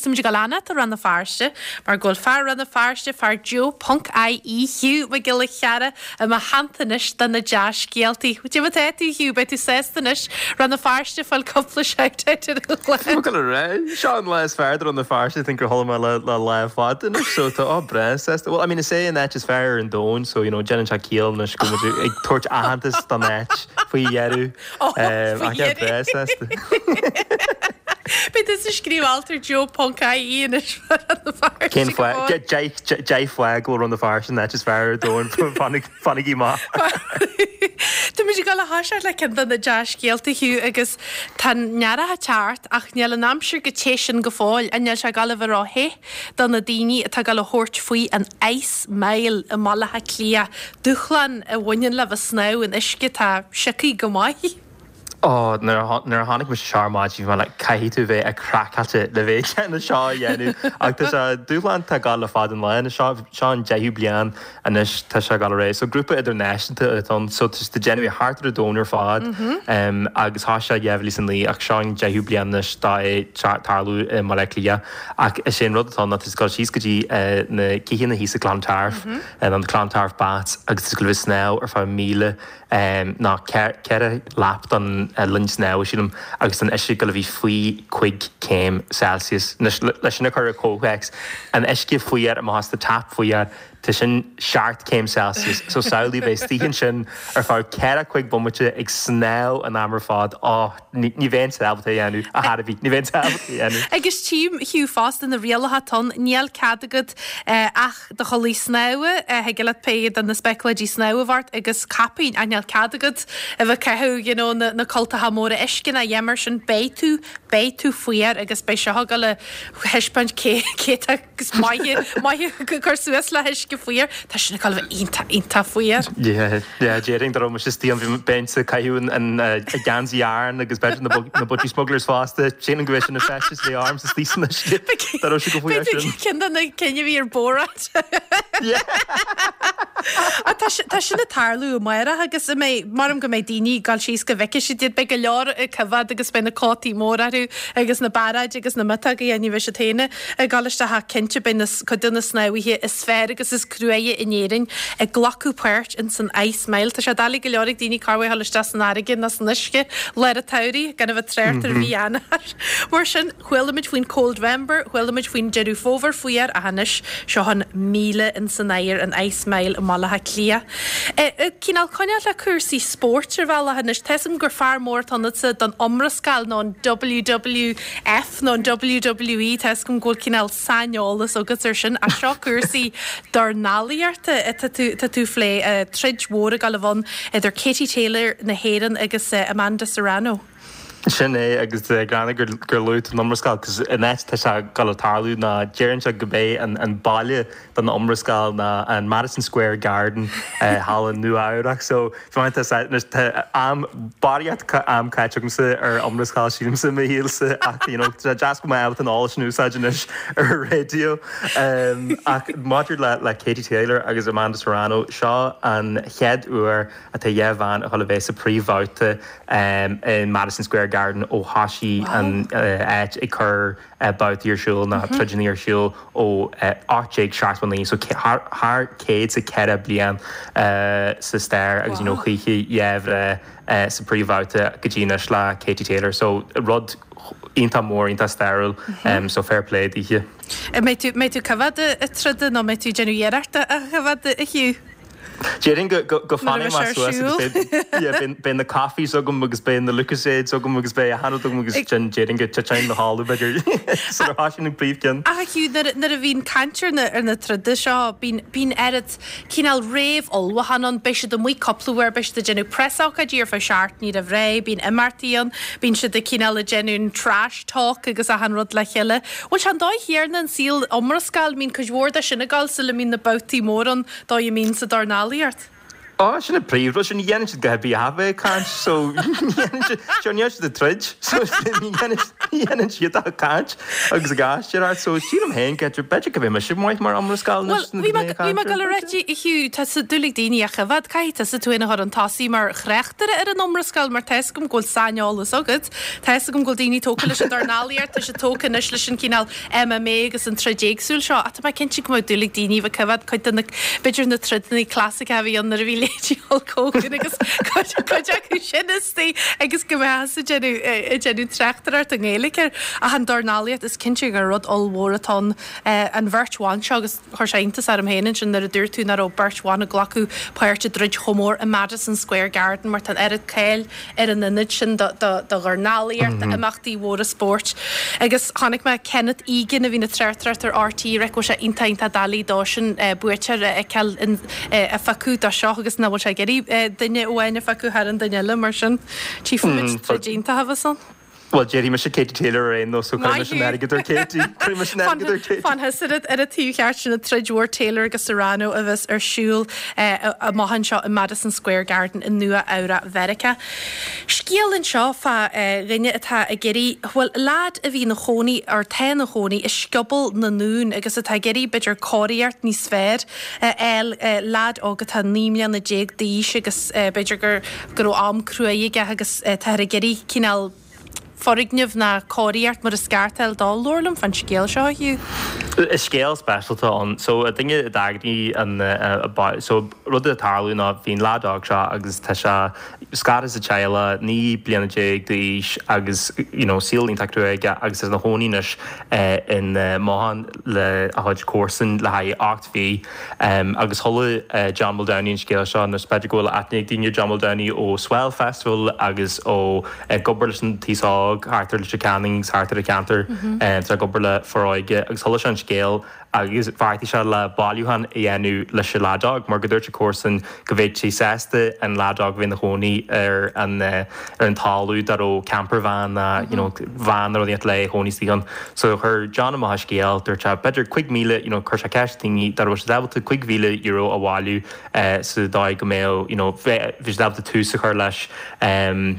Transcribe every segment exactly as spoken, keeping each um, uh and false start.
táimid ag dul fanacht i Rann na Feirste mar go bhfuil fear Rann na Feirste fear Joe ponc IE Hugh Mac Giolla Chearra i mo theannta anois do na dea-scéaltaí. Cad é mar atá tú Hugh, beidh tú sásta anois Rann na Feirste fáil cúpla shout-out ar an chlár. Go ré seo an lá is fearr Rann na Feirste think gur chuala mé le le lá fada anois so tá á breá sásta. Well I mean is é an áit is fearr ar an domhan so you know déanann sé ciall anois go bhfuil ag tabhairt aitheantas don áit faoi dheireadh Oh, Um, faoi ach yeah, dheireadh. breá sásta. Beidh tú ag scríobh alt ar Joe ponc IE anois Rann na Feirste Cén go fóill. deich bhfáth go Rann na Feirste an áit is fearr ar domhan fanaigí maith. Tá muid ag dul a thoiseacht le ceann de na dea-scéalta Hugh agus tá an t-earrach ag teacht ach níl an aimsir chomh te sin go fóill an níl sé ag dul a bheith ró-the do na daoine atá ag dul a thabhairt faoi an Ice Mile i mBaile Átha Cliath. Dúshlán a bhaineann le bheith snámh in uisce tá sioctha go maith. Ó nuair a nuair a tháinig mise seo maidin bhí like caithfidh tú bheith ag craiceáilte le bheith na seo a dhéanamh ach tá sé dúshlán tá gal le fad an lá seo seo an deichiú bliain anois tá sé gal ré so grúpa idirnáisiúnta atá ann so tá ag déanamh thart ar an domhan ar fad um, agus tá sé dheibhlí san lí ach seo an deichiú bliain anois tá é tarlú i mBaile Átha Cliath ach is é an rud atá ná tá gal síos go dtí uh, na céanna thíos i Clontarf mm -hmm. an Clontarf Baths agus go bhfuil snámh ar feadh míle um, ná ceithre lap don uh, linn snámh sílim agus an uisce go bhí faoi cúig céim Celsius leis sin a chur i gcomhthéacs an uisce faoi amach the tap faoi Tá sin seacht céim Celsius, so samhlaigh bheith istigh ansin ar feadh ceithre cúig bomaite ag snámh an am ar fad á ní bheinn ábalta dhéanamh a Hairbhí ní bheinn ábalta dhéanamh. Agus tím Hugh fosta na rialacha atá ann níl cead agat eh, ach do chulaith snámha thig leat pé de na speicléidí snámha bhart agus caipín a níl cead agat a bheith caitheamh you know, na, na cultacha móra uisce ná a dhath mar sin beidh tú beidh tú fuar agus beidh seo go le thaispeáint cé cé agus maith maith cur suas le huisce fuar Tá sin ag bheith iontach iontach fuar. Déarfainn dá mbeinn istigh ann bheinn ag caitheamh an geansaí Aran agus b'fhéidir na budgie smugglers fosta sin go sin na feistis lé arms is tí Dar sé go faoi sin. Cin na cinenne bhí ar Borat. Tá sin ag tarlú amárach agus mé maram go mbeidh daoine gal síos go bhfeice siad iad beidh go leor ag coimhéad agus beidh na cótaí mór orthu agus na bairéid agus na miotóga ní bheidh siad féin ag dul isteach cinnte beidh na cuid de na snámhaithe is fearr agus is cruaidhe in Éirinn ag glacadh páirt in san Ice Mile. Tá sé doiligh go leor ag daoine carhil isteach san fharraige ná san uisce lár an tsamhraidh gan a bheith trácht ar mhí Eanáir. Mar sin chuala muid faoin Coldvember, chuala muid faoin Deireadh Fómhair fuar ach anois seo an míle in san aer an Ice Mile i mBaile Átha Cliath. E, Cineál coinneáil le cúrsaí spóirt ar bhealach anois Tá gur fear mór ionatsa don iomrascáil nó an WWF nó an WWE Tá go bhfuil cineál saineolas agat ar sin a seo cúrsaí dornálaíochta tá tú tú plé troid mhór ag gabháil a bheith ann idir Katie Taylor na hÉireann agus Amanda Serrano. Sin é agus greannmhar gur gur luaigh tú an iomrascáil cos an áit tá sé ag tarlú ná deireann sé gurb é an an baile don iomrascáil ná an Madison Square Garden uh, thall in Nua Eabhrac so tá am barraíocht am caite agamsa ar iomrascáil sílimse mo shaolsa ach you know, deas go mbeidh an eolas sin úsáid anois ar radio um, ach maidir le le Katie Taylor agus Amanda Serrano seo an chéad uair atá dhá bhean a bheith sa príomhbhabhta um, in Madison Square Garden ó thosaigh an áit ag cur babhtaí ar siúl ná troideanna ar siúl ó ocht déag seachtó naoi so thar céad sa ceithre bliain sa stair agus you know chuiche dhébhre sa príomhbhabhta go dtí anois le Katie Taylor so rud iontach mór iontach stairiúil um, so fair play dithe. Mbeidh tú mbeidh tú coimhéad an troid nó mbeidh tú déanamh iarracht a choimhéad a Hugh? Déarfainn go go fanfaidh mé suas beidh na coffees agam agus beidh na Lucozades agam agus beidh a hanú agam agus sin déarfainn go titfinn a chodladh b'fhéidir sa sin an príomhcheann. Ach Hugh nuair a bhíonn caint ar na ar na troda seo bíonn bíonn oiread cineál réamhullmhúchán ann beidh siad amuigh cúpla uair beidh siad ag déanamh preasócáidí ar feadh seachtainí roimh ré, bíonn imeachtaí ann, bíonn siad ag cineál ag déanamh trash talk agus achan rud le chéile. Bhfuil sé an dóigh chéanna an saol iomrascáil mbíonn cuid mhór de sin ag gabháil sula mbíonn na babhtaí mór ann dóigh a mbíonn sa dornálaíocht. Ó, sin an príomhrud, sin ní dhéanann siad a dhath ar bith ach bheith ag caint, so ní dhéanann siad, sure, ní dhéanann siad ag troid, so ní dhéanann, ní dhéanann siad ach ag caint agus ag aisteoireacht, so sílim féin go b'fhéidir go mbeidh mise maith mar iomrascáil Bhuel, anois bhí mé, bhí mé ag dul a rá a Hugh, tá dúil ag daoine a choimhéad, caithfidh tusa tú féin a chur chun tosaigh mar thráchtaire ar an iomrascáil mar tá fhios agam go bhfuil saineolas agat, tá fhios agam go bhfuil daoine tógtha leis an dornálaíocht, tá siad tógtha anois leis an cineál MMA agus an troid éagsúil seo, ach tá mé cinnte go mbeadh dúil ag daoine a bheith ag coimhéad cuid de na, b'fhéidir na troideanna clasaiceacha a bhí ann nuair a bhí leithéidí Hulk Hogan agus cuid acu sin istigh agus go mbeadh ag déanamh ag déanamh tráchtaireacht i nGaeilge air. Ach an dornálaíocht is cinnte gur rud ollmhór atá ann an bheirt bhan seo agus chuir sé iontas orm féin ansin nuair a dúirt tú nach raibh beirt bhan ag glacadh páirt i dtroid chomh mór i Madison Square Garden mar tá an oiread cáil ar an ionad sin do dhornálaíocht, d'imeachtaí mhóra spóirt. Agus chonaic mé Kenneth Egan a bhíonn ag tráchtaireacht ar RTÉ go bhfuil sé iontach iontach doiligh dósan buaiteoir a fheiceáil a phiocadh do seo agus nach bhfuil sé ag iarraidh duine amháin a phiocadh thar an duine eile mar sin tchífimid troid iontach a bheas ann. Bhuel, déarfaidh mise Katie Taylor ar aon nós, so cuirfidh mise an airgead ar Katie. Cuirfidh mise an airgead ar Katie. Fan thusa ar an taobh cheart sin an troid mhór Taylor agus Serrano a bheas ar siúl amach anseo i Madison Square Garden i Nua Eabhrac Mheiriceá. Scéal anseo fá dhuine atá ag iarraidh, bhuel, leaid a bhí ina chónaí, or tá ina chónaí, i Scioból na nDún agus atá ag iarraidh, b'fhéidir, cóiríocht níos fearr a fháil, leaid óg atá naoi mbliana déag d'aois agus b'fhéidir gur, go raibh am cruaidh aige agus táthar ag iarraidh cineál foirgneamh ná cóiríocht mar is ceart a fháil dó. Labhair liom fán scéal seo, a Hugh. Is scéal speisialta ann. So, duine a d'eagraigh an, so, rud a tharla ná bhí an leaid óg seo agus tá sé scartha sa teaghlach, naoi bliana déag d'aois agus, you know, saol iontach crua aige agus é ina chónaí anois in mbothán le a chuid comharsan le haghaidh ocht mhí. Agus chuala John Muldowney an scéal seo anois b'fhéidir go bhfuil aithne ag daoine ar John Muldowney ó Swell Festival agus ó ag obair leis an t-aos óg thart ar Leitir Ceanainn agus thart ar an cheantar. Tá sé ag obair le Foróige agus chuala sé an scéal agus bheartaigh sé le bailiúchán a dhéanamh leis an leaid óg mar go dúirt a comharsan go mbeadh sé sásta an leaid óg a bheith ina chónaí ar an ar an talamh dá raibh camper van ná you know van nó rud éigin le chónaí istigh ann. So chuir John amach an scéal, dúirt sé b'fhéidir cúig mhíle you know chuir sé ceist ar dhaoine dá raibh siad ábalta cúig mhíle euro a bhailiú sa dóigh go mbeadh you know bhí siad ábalta tús a chur leis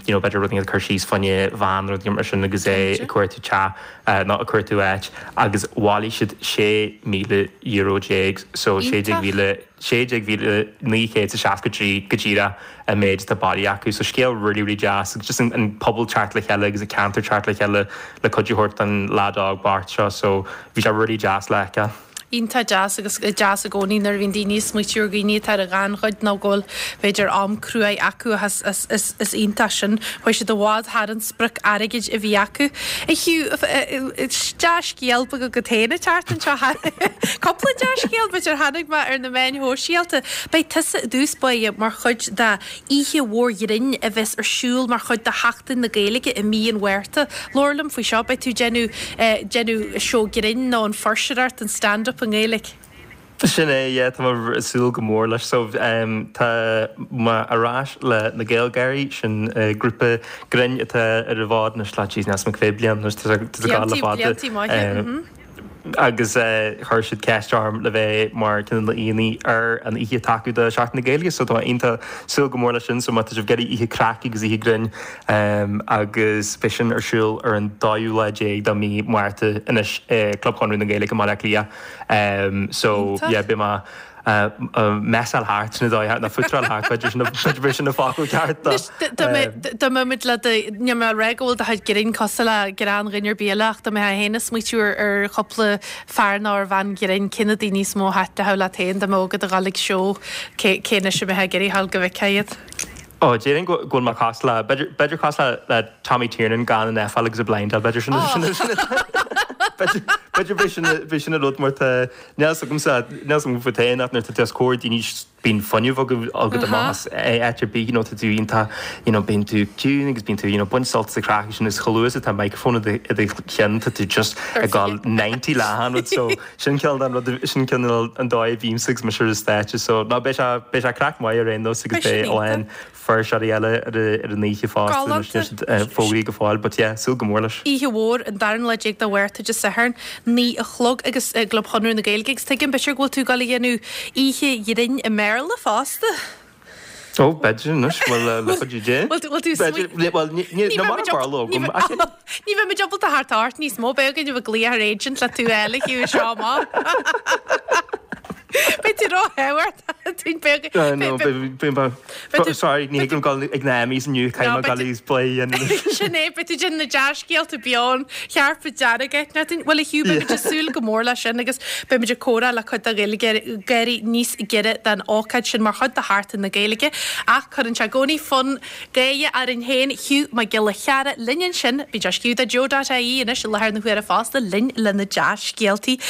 you know b'fhéidir rud éigin a chur síos fá choinne van nó rud éigin mar sin agus é ag cuartú teach nó ag cuartú áit agus bhailigh siad sé míle euro déag so sé déag mhíle sé déag mhíle naoi chéad is seasca trí go díreach an méid atá bailithe acu so scéal really really deas agus just an an pobal teacht le chéile agus an ceantar teacht le chéile le cuidiú a thabhairt don leaid óg bocht seo so bhí sé really deas le feiceáil. Iontach deas agus deas i gcónaí nuair a bhíonn daoine ag smaoitiú ar dhaoine atá ar an ghannchuid nó go bhfuil b'fhéidir am cruaidh acu ach is is is iontach sin. Chuaigh siad i bhfad thar an sprioc airgid a bhí acu. A Hugh, dea-scéal beag agat féin ag teacht anseo. Cúpla dea-scéal b'fhéidir tháinig mé ar na meáin shóisialta. Beidh tusa i dtús báire mar chuid de oíche mhór ghrinn a bheas ar siúl mar chuid de Sheachtain na Gaeilge i mí an Mhárta. Labhair liom faoi seo. Beidh tú ag déanamh déanamh seó grinn nó an fuirseoireacht, an stand up i nGaeilge. Sin é, yeah, tá mé ag súil go mór leis. So, tá mé ar ais le na GaelGáirí, sin grúpa grinn atá ar an bhfód anois le, jeez, níl 'fhios a'm cá mhéad bliain, anois tá sé ag gabháil le fada. Bliantaí maithe, mhm. Agus chuir siad ceist orm le bheith mar ceann de na haíonna ar an oíche atá acu do Sheachtain na Gaeilge so tá mé iontach súil go mór leis sin so má tá sibh ag iarraidh oíche craic agus oíche grinn agus beidh sin ar siúl ar an dóú lá déag de mhí Márta anois i gClub Chonradh na Gaeilge i mBaile Átha Cliath so yeah beidh mé messáil thart sin an dóigh nó fútráil thart b'fhéidir sin b'fhéidir sin an focal ceart do. Dá mbeadh muid le do níl mé ag rá go bhfuil do chuid grinn cosúil le greann dhuine ar bith eile ach dá mbeifeá féin ag smaoitiú ar ar chúpla fear nó ar bhean ghrinn cé na daoine is mó a thaitneodh leat féin dá mbeadh agat a dhul ag seó cé cé anois a mbeifeá ag iarraidh a dhul go bhfeicfeá iad. Ó, déarfainn go bhfuil mé cosúil le, b'fhéidir, b'fhéidir cosúil le Tommy Tiernan gan an aiféala agus an blindáil, b'fhéidir sin, sin, sin, b'fhéidir, b'fhéidir b'é sin, b'é sin an rud mar tá, níl fhios agamsa, níl fhios agam fút féin ach nuair atá tú os comhair daoine bíonn fuinneamh agat, agat amach as áit ar bith, you know, tá tú iontach, you know, bíonn tú ciúin agus bíonn tú, you know, baint sult as an chraic sin is chomh luath is atá microphone i do, i do cheann tá tú just ag dul ninety le achan rud so sin cineál den rud, sin cineál an dóigh a bhímse agus mise ar an stáitse so ná beidh sé, beidh sé craic maith ar aon nós agus Beidh sin beidh a lán iontach. fuirseoirí eile ar ar an oíche fosta anois Galánta. níl siad fógraithe go fóill but yeah súil go mór leis. Oíche mhór, an darna lá déag de Mhárta, Dé Sathairn, naoi a chlog agus i gClub Chonradh na Gaeilge agus tuigim b'fhéidir go bhfuil tú ag dul a dhéanamh oíche ghrinn i mBéarla fosta? Ó, b'fhéidir anois, bhfuil le chuid dé? Bhfuil tú Bhuel, ní mar barló agam. Ní bheidh muid ábalta theacht ort níos mó, beidh againn a bheith ag glaoch ar agent le tú a fháil a Hugh seo amach. Beidh tú róthábhachtach beag. Sorry, ní thig liom dul ag na Emmys inniu, caithfidh mé dul agus play a dhéanamh. Sin é, beidh tú ag déanamh na dea-scéalta beo an chairpéad dearg agat. Bhuel a Hugh, beidh muid ag súil go mór leis sin agus beidh muid ag comhrá le cuid de Ghaeilgeoirí níos giorra don ócáid sin mar chuid de Sheachtain na Gaeilge. Ach cuireann sé i gcónaí fonn gáire orainn féin, Hugh Mac Giolla Cheara linn ansin. Bíonn sé ag scríobh do Joe dot ie anois i láthair na huaire fosta linn le na dea-scéaltaí.